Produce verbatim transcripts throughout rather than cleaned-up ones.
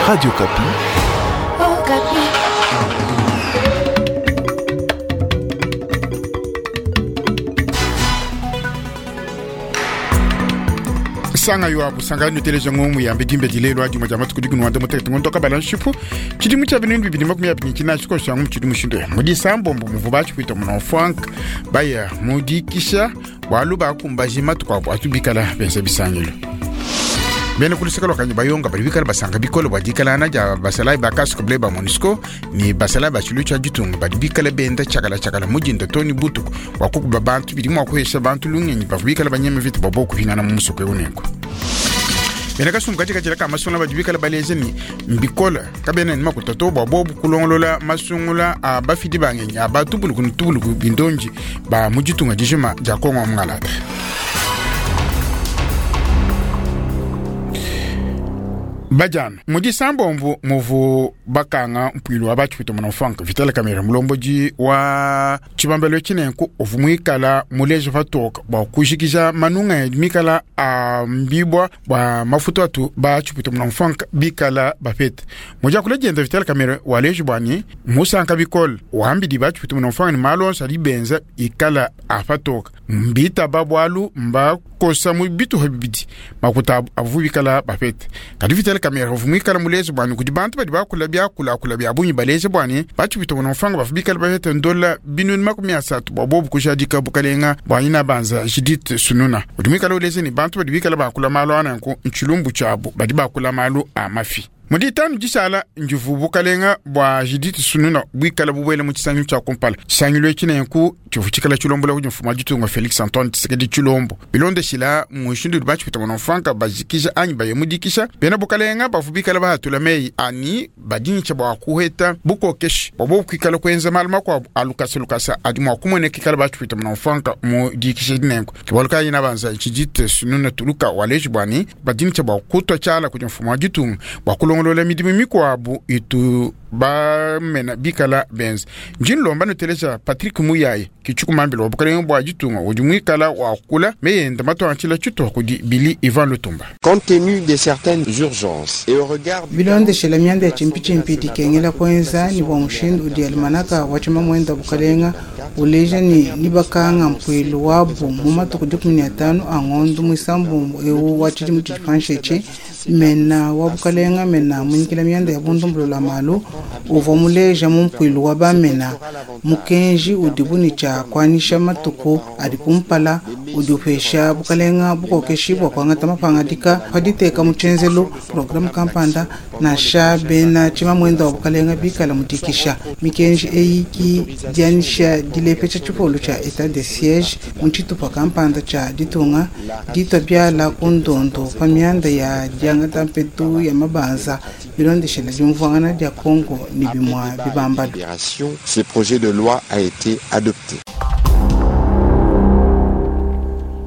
Radio Okapi. Okapi. Sanga yo abu sanga nuteleja ngomu ya mbidimbe dilelo adi maja matuku diku nwanda mutekete ngondo kabala nshipu chidimu cha bintu bibili makumi abiri china chiko shangu chidimu shindo mudi sambombo muvu bachi kuita muno frank baya mudikisha walu bakumbaji matuku abu atubikala benza bisangilo bene kuluseka lwakanyi bayonga bali bikala basanga bikolo bwa dikalana dia basalayi ba casque bleu ba MONUSCO ni basalayi ba tshilu tshia ditunga badi bikala benda tshakala tshakala mudinda to ni butuku bua kukuba bantu bidi mua kuhesha bantu lungenyi bavua bikala banyema vita bua bokuhingana mu musoko eu nenku. Bena kasumbu katika tshila ka masungula badi bikala baleze ni mbikola kabena ni makuta to bua bobu kulongolola masungula a bafidi bangenyi a batubuluku ni tubuluku bindonji ba mu ditunga dijima dia Kongo mungalata. Bajana mudi sambomvu muvu bakanga mpuilu wa bachi kuita muna frank Vital Kamerhe mulomboji wa tshibambelo tshinenku uvu muikala muleje patoka bua kujikija manunga ya mikala a mbibwa bua mafuta atu bachi kuita muna frank bikala bapete. Muja kule jenda Vital Kamerhe waleje bwani musanka bikol wambidi bachi kuita muna frank ni malonsa libenza ikala apatoka mbita babwalu mba kosa mu bitu habibidi makuta avu bikala bapete. Kadi Vital Kamerhe uvu muikala muleze bwani kudi bantu badi bakula byakula kula bya bunyi baleze bwani bachi kuita muna frank bafu bikala bapete ndola binuni makumi asatu bwa bobu kushadika bukalenga bwani na banza Judith Sununa. Udi muikala uleze ni bantu badi bikala bakula malu ananku nchilumbu chabu badi bakula malu a mafi. Mudi tanu jisala njuvu bukalenga bwa Judith Sununa bwikala bubwele mu tshisangilu tshia kumpala. Tshisangilu etshi nenku tshivu tshikala tshilombola kudi mfumu wa ditunga Felix Antoine Tshisekedi Tshilombo. Bilondeshila mushindu udi bachi kuita muna frank bajikija anyi bayemudikisha bena bukalenga bavu bikala bahatula meyi ani badintsha bua kuheta bukokeshi bua bobu kuikala kuenza malu makuabu a lukasa lukasa adi mua kumueneka ikala bachi kuita muna frank mu dikisha dinenku. Ke bualu kayi na banza Judith Sununa tuluka waleji bwani badintsha bua kutwa tshiala kudi mfumu wa ditunga bua kulongolola midimu mikuabu itu bamena bikala benza. Njinlomba nuteleja Patrick Muyaya kichukumambila wa bukalenga bua ditunga udi muikala wakula meyenda matuantshila tshituha kudi Billy Ivan Lutumba. Compte tenu de certaines urgences et au regard du bilondeshela mianda ya chimpitshimpi dikengela kuenza ni bua mushindu udi almanaka wa tshimamwenda bukalenga uleja ni nibakanga mpuilu wabu mu matuku dikumi ne atanu a ngondo muisambombo ewu wa tshidimu tshidi mena wa bukalenga mena munyikila mianda ya bundumbulula malu uvua muleja mu mpuilu wa bamena mukenji udibu ni tshia kuanisha matuku adi kumpala udi upesha bukalenga bukokeshi bua kuangata mapangadika paditeka mu tshenzelu programu kampanda nansha bena tshimamwenda wa bukalenga bikala mudikisha mikenji eyi ki dianisha dilepesha tshipolu tshia etat de siège mu tshitupa kampanda tshia ditunga ditwa biala ku ndondo pa mianda ya diangata mpetu ya mabanza bilondeshela diumvuangana dia Congo ni bimwa bibambalu. Ce projet de loi a été adopté.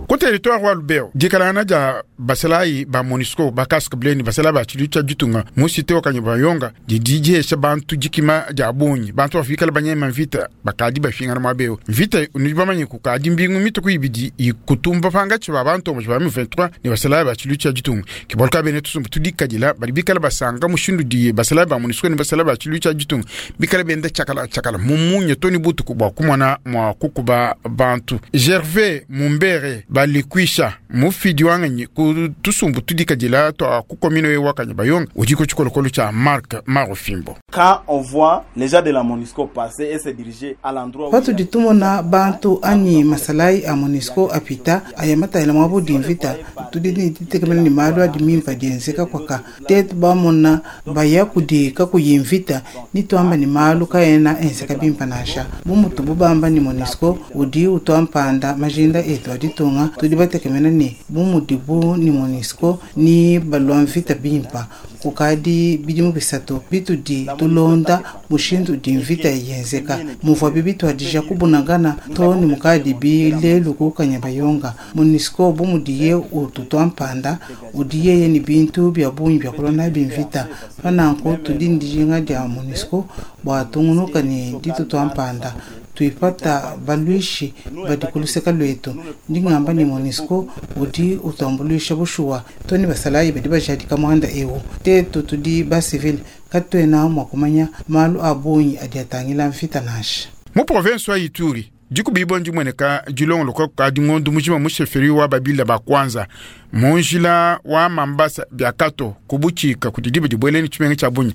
Ku territoire wa Lubero dikalana dia basalayi ba MONUSCO ba casque bleu ni basalayi ba tshilu tshia ditunga mu cité wa Kanyabayonga didi dihesha bantu dikima dia bungi bantu bafikala banyema mvita bakadi bafingana muaba eu mvita nudi bamanye kukadi mbingu mituku ibidi ikutumba pangatshi ba bantu ba M vingt-trois ni basalayi ba tshilu tshia ditunga ke bualu kayi bena tusumbu tudikadila badi bikala basanga mushindu di basalayi ba MONUSCO ni basalayi ba tshilu tshia ditunga bikala benda tshakala tshakala mu munya to ni butuku bua kumona mua kukuba bantu. Gervais Mumbere balikwisha mufidi wanganyi ku tusumbu tudikadila twa ku commune wa Kanyabayonga udi ku tshikolokolo tshia Marc Marofimbo. Quand on voit les gens de la MONUSCO passer et se diriger à l'endroit où patudi tumona bantu anyi masalayi a MONUSCO apita aya matayela mwa budi mvita tudi ni ditekemena ni malu adi mimpa dienzeka kwaka tetu bamona baya kudi kakuyi mvita ni tuamba ni malu kaena enzeka bimpa nasha bumutu bubamba ni MONUSCO udi utwampanda majinda etu aditunga tudi batekemena ni bumudibu ni MONUSCO ni balwa mvita bimpa kukadi bidimu bisatu bitudi tulonda mushindu udi mvita yenzeka muvua bibi twadija kubunagana to ni mukadi bilelu ku Kanyabayonga MONUSCO bumudiye utu twampanda udi yeye ni bintu bya bungi bya kulona bimvita pananku tudi ndijinga dia MONUSCO bua tungunuka ni ditu twampanda Tuipata baluishi badi kuluseka lwetu. Ndingamba ni MONUSCO udi utambulisha bushuwa toni basalayi badi bajadika mwanda ewu. Tetu tudi ba civil katwena mwa kumanya malu a bungi adi atangila mvita nansha. Mu province wa Ituri dikubibo ndimweneka dilongoloka kukadi ngondu mujima mu chefferie wa babila ba kwanza munjila wa Mambasa biakato kubuchika kuti dibe dibweleni chimenga cha bunyi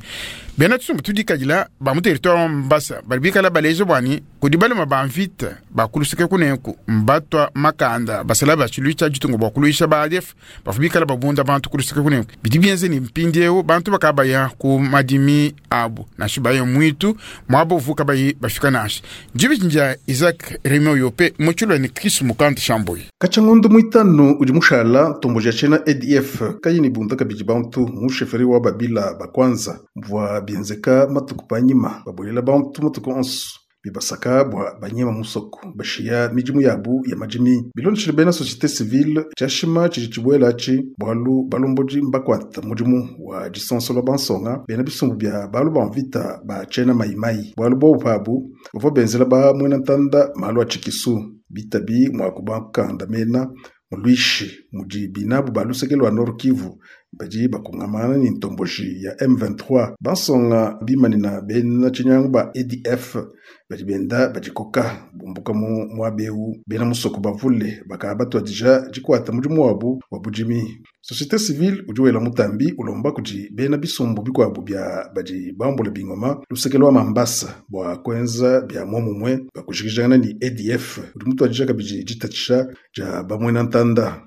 bena tusumbu tudikadila ba mu territoire wa Mambasa bali bikala baleje bwani kudi balema ba mvita bakulusike kunenku mbatwa makanda basala ba chilu cha jitungo bakuluisha ba A D F bafubikala babunda bantu kulusike kunenku bidi bienze ni mpindiewo bantu bakabaya ku madimi abu nashi baye mwitu mwabo vuka bayi bafika nashi jibi nja Isaac Remo Yope muchulwa ni Chris Mukandi Shamboyi Kachangondo mwitano udi mushala tomboja chena A D F kayini bunda kabidi bantu mu chefferie wa babila bakwanza mvua bienzeka matuku panyima babolela bantu matuku onso bibasaka bwa banyema musoko bashiya mijimu yabu ya majimi bilonshile bena société civile chashima chiji chibwela chi bwalu balomboji mbakwata mujimu wa disonso bansonga bena bisumbu bya balu bamvita ba chena maimai bwalu bo pabu bavo benzela ba mwena ntanda malu achikisu bitabi mwakubankanda mena mulwishi mudi binabu balusekelo wa Nord Kivu badi bakungamana ni ntomboji ya M vingt-trois bansonga bimanina bena chinyangu ba A D F badi benda badikoka bumbuka mu mwabeu bena musoko bavule bakaba batwadija jikwata mudimu wabu wa bujimi société civile udi wela mutambi ulomba kudi bena bisumbu bikwabu bya badi bambula bingoma lusekelo wa Mambasa bwa kwenza bya momumwe bakujikijana ni A D F udi mutwadija kabidi jitatsha ja bamwena ntanda.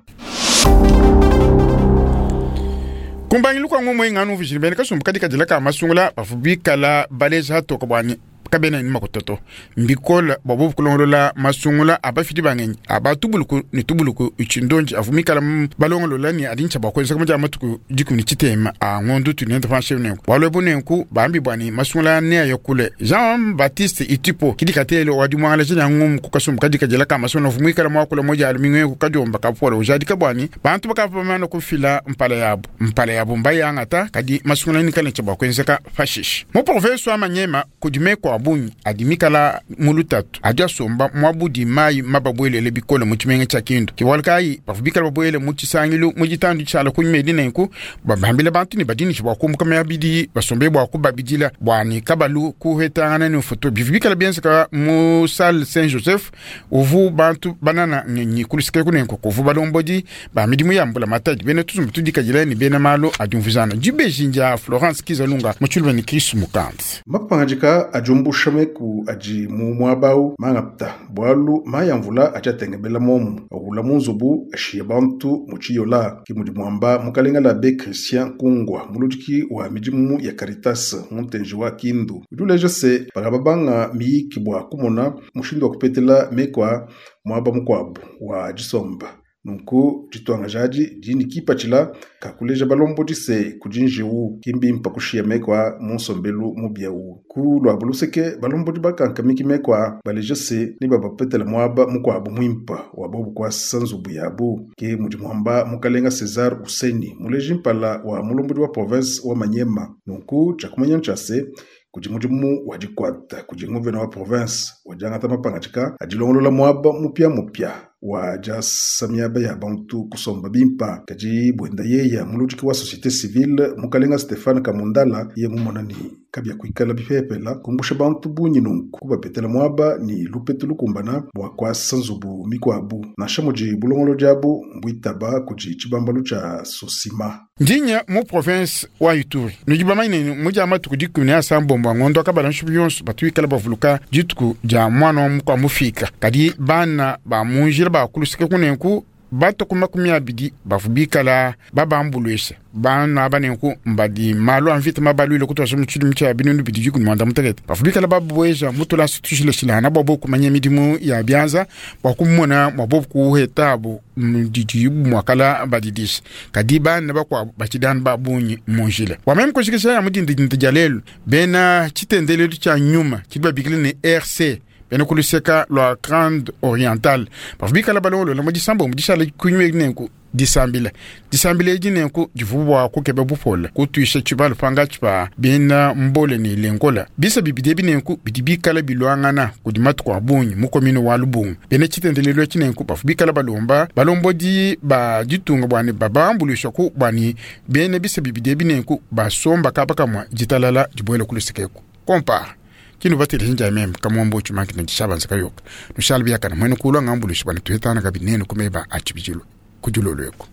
Kumbangilu kwa ngomwe nganu vijini bene kasumbu kadika dilaka masungula bafubikala baleza hatoka bwani kabena ni makototo mbikola bobo kulongolola masungula abafiti bangenyi abatubuluku ni tubuluku ichindonji avumikala balongolola ni adincha bakwenza kama matuku dikumi ni chitema a ngondu tunenda fanshe nenku walwebu nenku bambi bwani masungula ne ayokule Jean Baptiste Itipo kidikatelo wadi mwangala jina ngum kukasumbu kadika dilaka masungula avumikala mwakula moja alumingwe kukajomba kapola ujadika bwani bantu bakapamana kufila mpala yabo mpala yabo mbayangata kadi masungula ni kale cha ka fashish mo professeur Manyema kudime kwa bunyi adimikala mulutatu adya somba mwabudi mai mababwelele bikolo mu chimenga cha kindu kiwalkai bafubikala babwele mu chisangilu mu jitandu chala kunyumedi nenku babambile bantu ni badini chibakumbuka mabidi basombe bwa kubabidila bwani kabalu kuhetangana ni foto bivibikala bienza mu salle Saint Joseph uvu bantu banana nyenyi kulusike kunenku kuvu balombodi ba midimu yambula matadi bene tuzumbu tudikajila ni bena malo adumvuzana jibejinja Florence Kizalunga muchulwa ni Chris Mukandi mapangajika ajumbu shameku aji mu mwabau mangapta bwalu mayamvula achatengebela momu awula munzubu ashiye bantu muchiyola kimudi mwamba mukalenga la be Christian Kungwa muludiki wa mijimu ya Caritas muntenji wa Kindu uduleje se bakababanga miyiki bwa kumona mushindu wa kupetela mekwa mwaba mukwabu wa jisomba nunku jitwanga jaji jini kipachila kakuleja balombo jise kujinjiwu kimbi mpakushiya mekwa munsombelu mubyawu ku lwa buluseke balombo bakankamiki mekwa baleja se ni babapetela mwaba mukwabu mwimpa wabobu kwa sanzubu yabu ke mudi mwamba mukalenga Cesar Useni muleji mpala wa mulombodi wa province wa Manyema nunku chakumanya nchase kudi mudimu wa jikwata kudi nguvena wa province wajangata mapangajika ajilongolola mwaba mupya mupya wa jasamiaba ya bantu kusomba bimpa kaji bwenda yeya muludiki wa société civile mukalenga Stefan Kamundala ye mumonani kabya kuikala bipepela kumbusha bantu bunyi nunku kubapetela mwaba ni lupetu lukumbana bwa kwasa nzubu mikwabu nasha muji bulongolo jabu mbwitaba kuji chibambalu cha sosima ndinya mu province wa Ituri nujibamaine muja matuku dikumi ne asambombo ngondo akabala nshubu yonso batuikala bavuluka dituku ja mwana wa mukwa mufika kadi bana ba munjila bakulusike kunenku bato kuma makumi abidi bafubikala babambulwesha bana banenku mbadi malu amvita mabalwile kutwasha muchidimu cha binundu bidi jikumi mwanda mutekete bafubikala babwesha mutula situshile shilana bwabo kumanya midimu ya byanza bwakumona mwabo kuhetabu mdidi mwakala badidisha kadi bana bakwa bachidani babunyi munjila wameme kushikisha ya mudindi jalelu bena chitendelelu cha nyuma chidwa bikile ni R C bena kuluseka lwa Grande Orientale bafubikala balolo la mudisamba mudishala kunywe nenku Disambila disambila edi nenku divu bua kukeba bupole kutuisha tshibalu pangatshi pa bena mbole ne lengola. Bisa bibidi ebi nenku bidi bikala bilwangana kudi matuku a bungi mu komine wa Lubunga. Bena tshitendelelu etshi nenku bavu bikala balomba balombodi ba ditunga bua ne babambuluisha ku bua ne bena bisa bibidi ebi nenku basomba kaba kamua ditalala dibuela ku lusekeku kompara kinu bateleja njia meme kamwambo uchumanki na dishabanza kayoka nushala biakana mwene kulwa ngambuluisha bana tuhetana kabinene kumeba achibijilu kujulolweko.